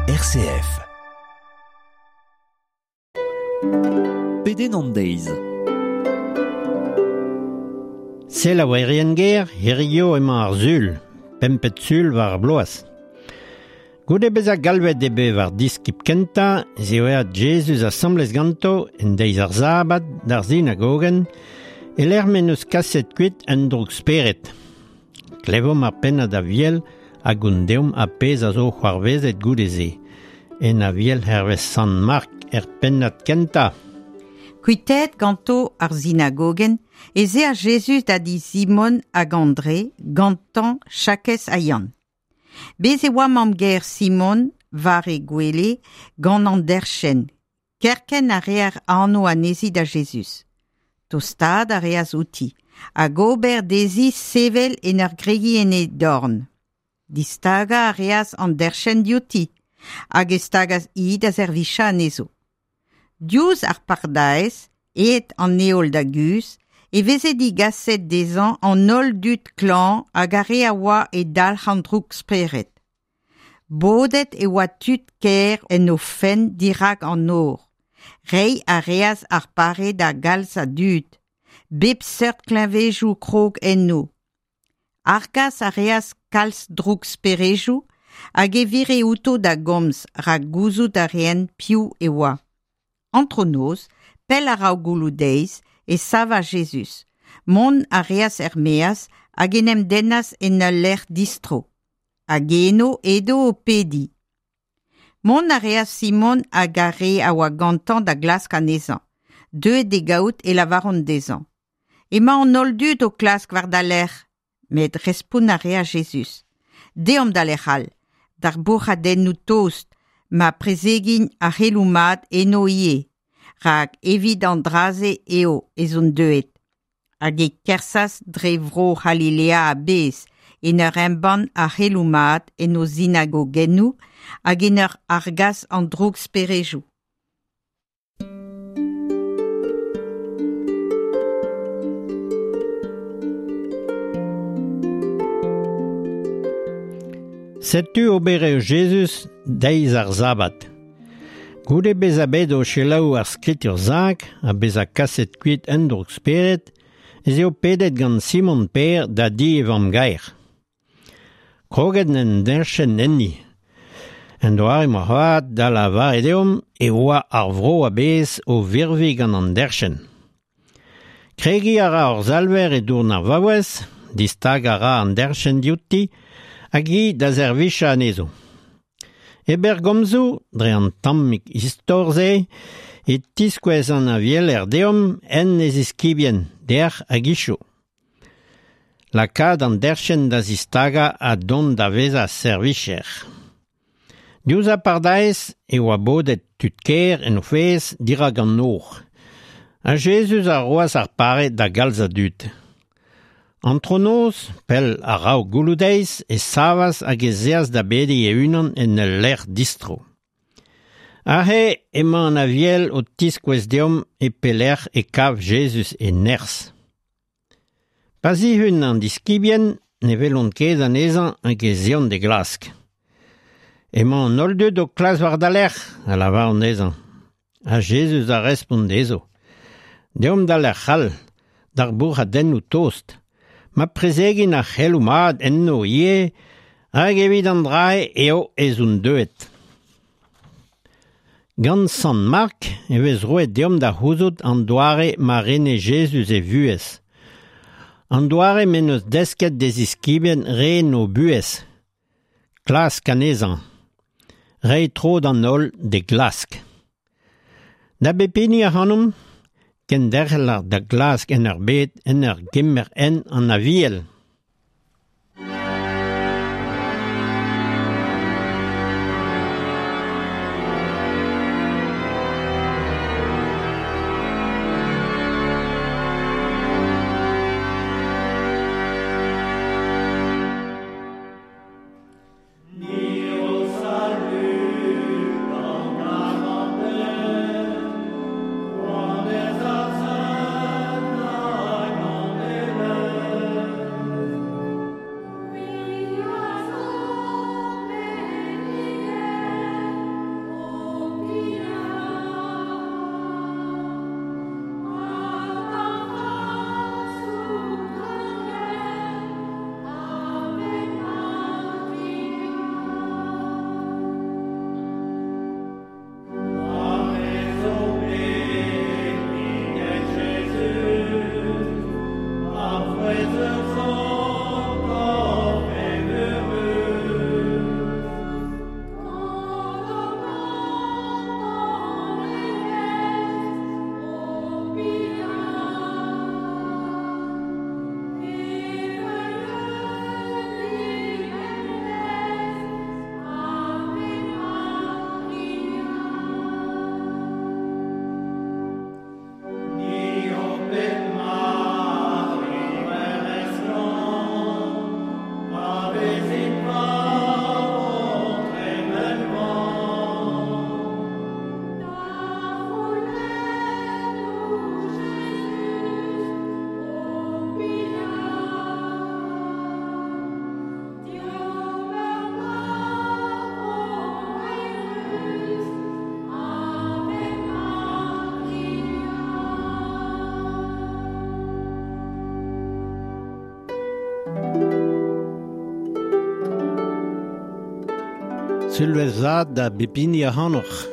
RCF. Pedenn an deiz. Selaouerien ger, hirio emañ ar sul, pempet sul war ar bloaz. Goude bezañ galvet eo bet war diskib kentañ ez eo aet Jezuz asambles ganto en deiz ar sabad d'ar sinagogenn e-lec'h m'en deus kaset kuit un droug-spered. Klevomp ar pennad Aviel hag hon deomp ar pezh a zo c'hoarvezet goude-se. En Aviel hervez Sant Mark er pennad kentañ. Kuitaet ganto ar sinagogenn ez eas Jezuz da di Simon hag Andre, gantañ Jakez ha Yann. Bez' e oa mamm-gaer Simon war he gwele gant an derchenn. Kerkent a reer anv anezhi da Jezuz. Tostaat a reas outi hag ober dezhi sevel en ur gregiñ en he dorn. Distagañ a reas an derchenn diouti hag e stagas hi da servijañ anezho. Diouzh ar pardaez, aet an heol da guzh, e veze digaset dezhañ an holl dud klañv hag ar re a oa e dalc'h an droug-spered. Bodet e oa tud kêr en o fenn dirak an nor. Reiñ a reas ar pare da galz a dud, bep seurt kleñvedoù krog enno. Argas a reas kalz drouksperedoù hag e vire outo da gomz rak gouzout a raent piv e oa. Antronoz, pell a-raok gouloù-deiz, e savas Jezuz. Mont a reas er-maez hag en em dennas en ul lec'h distro. Hag eno edo o pediñ. Mont a reas Simon hag ar re a oa gantañ da glask anezhañ. Deuet d'e gaout e lavaront dezhañ: Emañ an holl dud o klask war da lerc'h. Met respont a reas Jezuz: Deomp da lec'h all, d'ar bourc'hadennoù tost, ma prezegin ar c'heloù mat eno ivez, rak evit an dra-se eo ez on deuet. Hag e kerzhas dre vro C'halilea a-bezh en ur embann ar c'heloù mat en o sinagogennoù hag en ur argas an drouksperejoù. Setu oberer Jezuz deiz ar sabad. Goude bezañ bet o selaou ar skritur sakr ha bezañ kaset kuit un droug-spered ez eo pedet gant Simon Pêr da di e vamm-gaer. Kroget en deñchenn enni. En doare moarvat da lavaret deomp e oa ar vro a-bezh o virviñ gant an derchenn. Kregiñ a ra hor Salver e dourn ar vaouez, distagañ a ra an derchenn diouti hag hi da servijañ anezho. E berr gomzoù, dre an tammig istor-se, e tiskouez an avieler deomp en e ziskibien, dec'h hag hiziv. Lakaat an derchenn da zistagañ ha dont da vezañ servijer. Diouzh ar pardaez e oa bodet tud kêr en o fezh dirak an nor. Ha Jezuz a roas ar pare da galz a dud. Antronoz, pell a-raok gouloù-deiz, e savas hag ez eas da bediñ e-unan en ul lec'h distro. Aze emañ an Aviel o tiskouez deomp e pelec'h e kav Jezuz e nerzh. Pa zihun an diskibien ne welont ket anezhañ hag ez eont d'e glask. Emañ an holl dud o klask war da lerc'h, a lavaront dezhañ. Ha Jezuz a respont dezho: Deomp da lec'h all, d'ar bourc'hadennoù tost, ma prezegin ar c'heloù mat enno ivez, hag evit an dra-se eo ez on deuet. Gant Sant Mark e vez roet deomp da c'houzout an doare ma rene Jezuz e vuhez, an doare m'en deus desket d'e ziskibien ren o buhez, klask anezhañ, reiñ tro d'an holl d'e glask. Da bep hini ac'hanomp, kenderc'hel da glask en ur bed en ur gemer hent an Aviel. Sulvezh vat da bep hini ac'hanoc'h.